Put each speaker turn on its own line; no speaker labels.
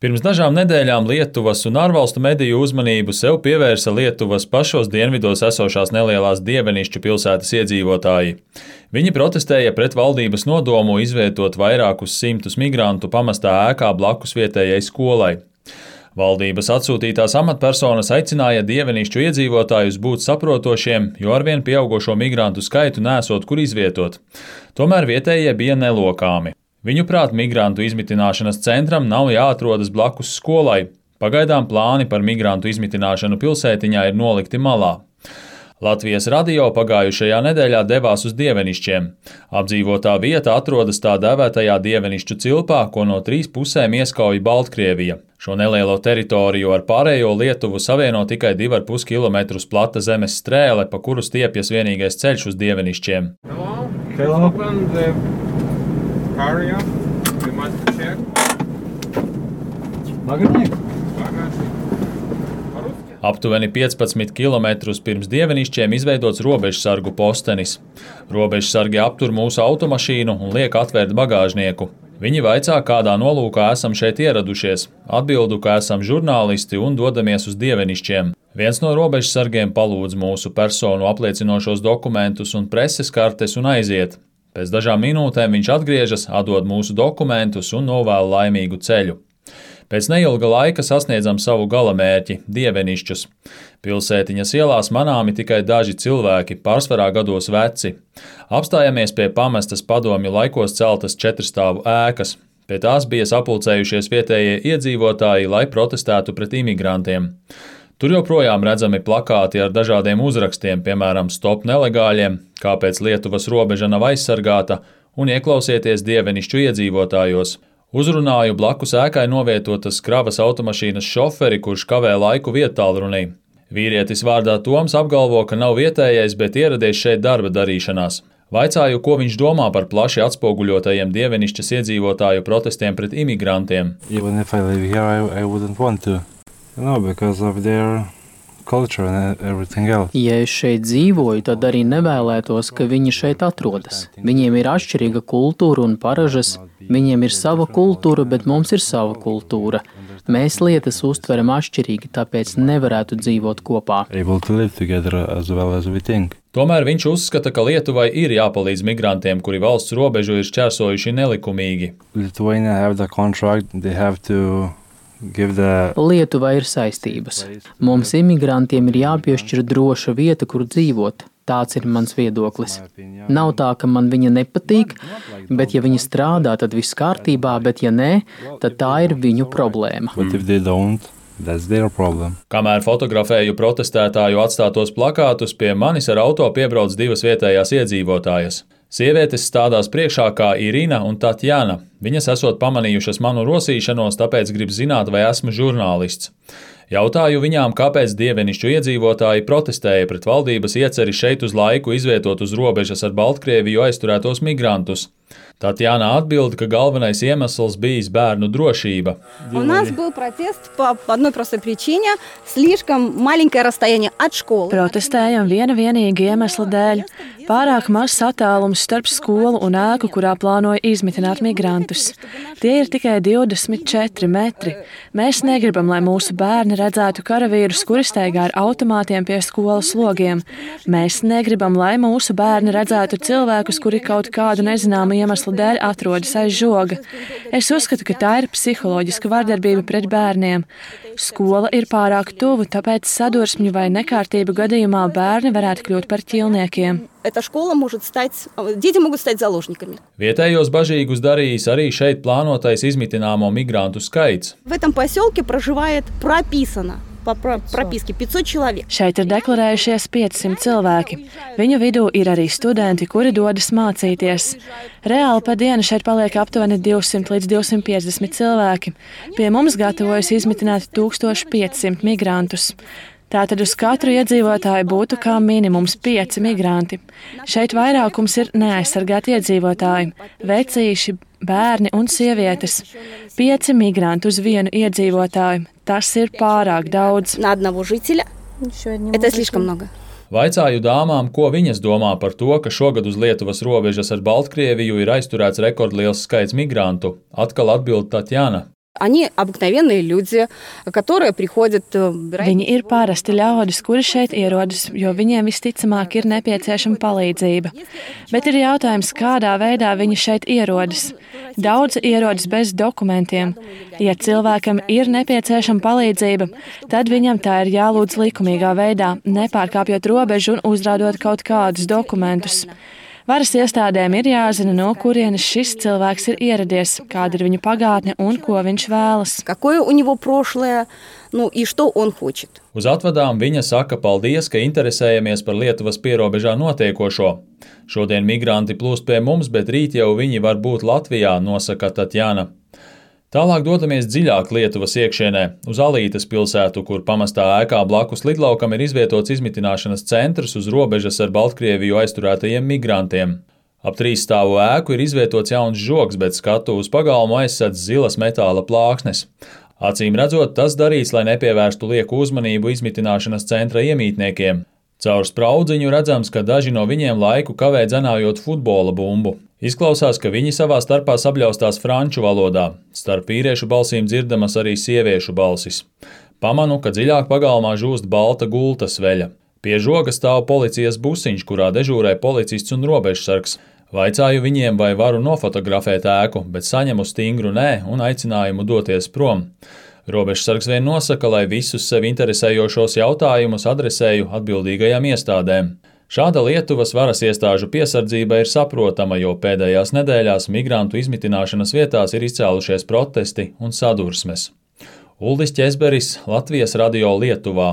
Pirms dažām nedēļām Lietuvas un ārvalstu mediju uzmanību sev pievērsa Lietuvas pašos dienvidos esošās nelielās Dievenišķu pilsētas iedzīvotāji. Viņi protestēja pret valdības nodomu izvietot vairākus simtus migrantu pamestā ēkā blakus vietējai skolai. Valdības atsūtītās amatpersonas aicināja Dievenišķu iedzīvotājus būt saprotošiem, jo arvien pieaugošo migrantu skaitu nesot kur izvietot. Tomēr vietējie bija nelokāmi. Viņuprāt, migrantu izmitināšanas centram nav jāatrodas blakus skolai. Pagaidām plāni par migrantu izmitināšanu pilsētiņā ir nolikti malā. Latvijas radio pagājušajā nedēļā devās uz Dievenišķiem. Apdzīvotā vieta atrodas tā dēvētajā Dievenišķu cilpā, ko no 3 pusēm ieskauj Baltkrievija. Šo nelielo teritoriju ar pārējo Lietuvu savieno tikai 2,5 km plata zemes strēle, pa kuru stiepjas vienīgais ceļš uz Dievenišķiem.
Hello. Area. We must check.
Aptuveni 15 km pirms Dievenišķiem izveidots robežsargu postenis. Robežsargi aptur mūsu automašīnu un liek atvērt bagāžnieku. Viņi vaicā, kādā nolūkā esam šeit ieradušies. Atbildu, ka esam žurnālisti un dodamies uz Dievenišķiem. Viens no robežsargiem palūdz mūsu personu apliecinošos dokumentus un preses kartes un aiziet. Pēc dažām minūtēm viņš atgriežas, atdod mūsu dokumentus un novēl laimīgu ceļu. Pēc neilga laika sasniedzam savu galamērķi – Dievenišķus. Pilsētiņas ielās manāmi tikai daži cilvēki, pārsvarā gados veci. Apstājamies pie pamestas padomju laikos celtas 4-stāvu ēkas. Pie tās bija sapulcējušies vietējie iedzīvotāji, lai protestētu pret imigrantiem. Tur joprojām redzami plakāti ar dažādiem uzrakstiem, piemēram, stop nelegāļiem, kāpēc Lietuvas robeža nav aizsargāta, un ieklausieties Dievenišķu iedzīvotājos. Uzrunāju blakus ēkai novietotas kravas automašīnas šoferi, kurš kavē laiku viedtālrunī. Vīrietis vārdā Toms apgalvo, ka nav vietējais, bet ieradies šeit darba darīšanās. Vaicāju, ko viņš domā par plaši atspoguļotajiem Dievenišķas iedzīvotāju protestiem pret imigrantiem.
No, because of their culture and everything else.
Ja es šeit dzīvoju, tad arī nevēlētos, ka viņi šeit atrodas. Viņiem ir atšķirīga kultūra un paražas, viņiem ir sava kultūra, bet mums ir sava kultūra. Mēs lietas uztveram atšķirīgi, tāpēc nevarētu dzīvot kopā.
Tomēr viņš uzskata, ka Lietuvai ir jāpalīdz migrantiem, kuri valsts robežu ir šķērsojuši nelikumīgi.
Lietuvai ir saistības. Mums imigrantiem ir jāpiešķir droša vieta, kur dzīvot. Tāds ir mans viedoklis. Nav tā, ka man viņa nepatīk, bet ja viņa strādā, tad viss kārtībā, bet ja nē, tad tā ir viņu problēma.
Kamēr fotografēju protestētāju atstātos plakātus, pie manis ar auto piebrauc 2 vietējās iedzīvotājas. Sievietes stādās priekšā kā Irina un Tatjana. Viņas esot pamanījušas manu rosīšanos, tāpēc grib zināt, vai esmu žurnālists. Jautāju viņām, kāpēc Dievenišķu iedzīvotāji protestēja pret valdības ieceri šeit uz laiku izvietot uz robežas ar Baltkrieviju aizturētos migrantus. Tatjana atbild, ka galvenais iemesls bijis bērnu drošība.
У нас был протест по одной простой причине – слишком маленькое расстояние от школы.
Protestējam viena vienīga iemesla dēļ. Pārāk mazs attālums starp skolu un ēku, kurā plānoja izmitināt migrantus. Tie ir tikai 24 metri. Mēs negribam, lai mūsu bērni redzētu karavīrus, kuri staigā ar automātiem pie skolas logiem. Mēs negribam, lai mūsu bērni redzētu cilvēkus, kuri kaut kādu nezināmu iemeslu dēļ atrodas aiz žoga. Es uzskatu, ka tā ir psiholoģiska vardarbība pret bērniem. Skola ir pārāk tuvu, tāpēc sadursmju vai nekārtību gadījumā bērni varētu kļūt par ķilniekiem.
Vietējos bažīgus darījis arī šeit plānotais izmitināmo migrantu skaits.
Šeit ir deklarējušies 500 cilvēki. Viņu vidū ir arī studenti, kuri dodas mācīties. Reāli pa dienu šeit paliek aptuveni 200 līdz 250 cilvēki. Pie mums gatavojas izmitināt 1500 migrantus. Tātad uz katru iedzīvotāju būtu kā minimums 5 migranti. Šeit vairākums ir neaizsargāti iedzīvotāji, vecīši, bērni un sievietes. 5 migranti uz vienu iedzīvotāju. Tas ir pārāk daudz.
Vaicāju dāmām, ko viņas domā par to, ka šogad uz Lietuvas robežas ar Baltkrieviju ir aizturēts rekordliels skaits migrantu. Atkal atbild Tatjana.
Viņi ir parasti ļaudis, kuri šeit ierodas, jo viņiem visticamāk ir nepieciešama palīdzība. Bet ir jautājums, kādā veidā viņi šeit ierodas. Daudzi ierodas bez dokumentiem. Ja cilvēkam ir nepieciešama palīdzība, tad viņam tā ir jālūdz likumīgā veidā, nepārkāpjot robežu un uzrādot kaut kādus dokumentus. Varas iestādēm ir jāzina, no kurienes šis cilvēks ir ieradies, kāda ir viņa pagātne un ko viņš vēlas.
Uz atvadām viņa saka paldies, ka interesējamies par Lietuvas pierobežā notiekošo. Šodien migranti plūst pie mums, bet rīt jau viņi var būt Latvijā, nosaka Tatjana. Tālāk dodamies dziļāk Lietuvas iekšienē, uz Alītes pilsētu, kur pamestā ēkā blakus lidlaukam ir izvietots izmitināšanas centrs uz robežas ar Baltkrieviju aizturētajiem migrantiem. Ap 3 stāvu ēku ir izvietots jauns žogs, bet skatu uz pagalmu aizsedz zilas metāla plāksnes. Acīm redzot, tas darīts, lai nepievērstu lieku uzmanību izmitināšanas centra iemītniekiem. Caur spraudziņu redzams, ka daži no viņiem laiku kavē dzenājot futbola bumbu. Izklausās, ka viņi savā starpā sabļaustās franču valodā. Starp vīriešu balsīm dzirdamas arī sieviešu balsis. Pamanu, ka dziļāk pagalmā žūst balta gultas veļa. Pie žoga stāv policijas busiņš, kurā dežūrē policists un robežsargs. Vaicāju viņiem, vai varu nofotografēt ēku, bet saņemu stingru nē un aicinājumu doties prom. Robežsargs vien nosaka, lai visus sevi interesējošos jautājumus adresēju atbildīgajām iestādēm. Šāda Lietuvas varas iestāžu piesardzība ir saprotama, jo pēdējās nedēļās migrantu izmitināšanas vietās ir izcēlušies protesti un sadursmes. Uldis Ķezberis, Latvijas radio Lietuvā.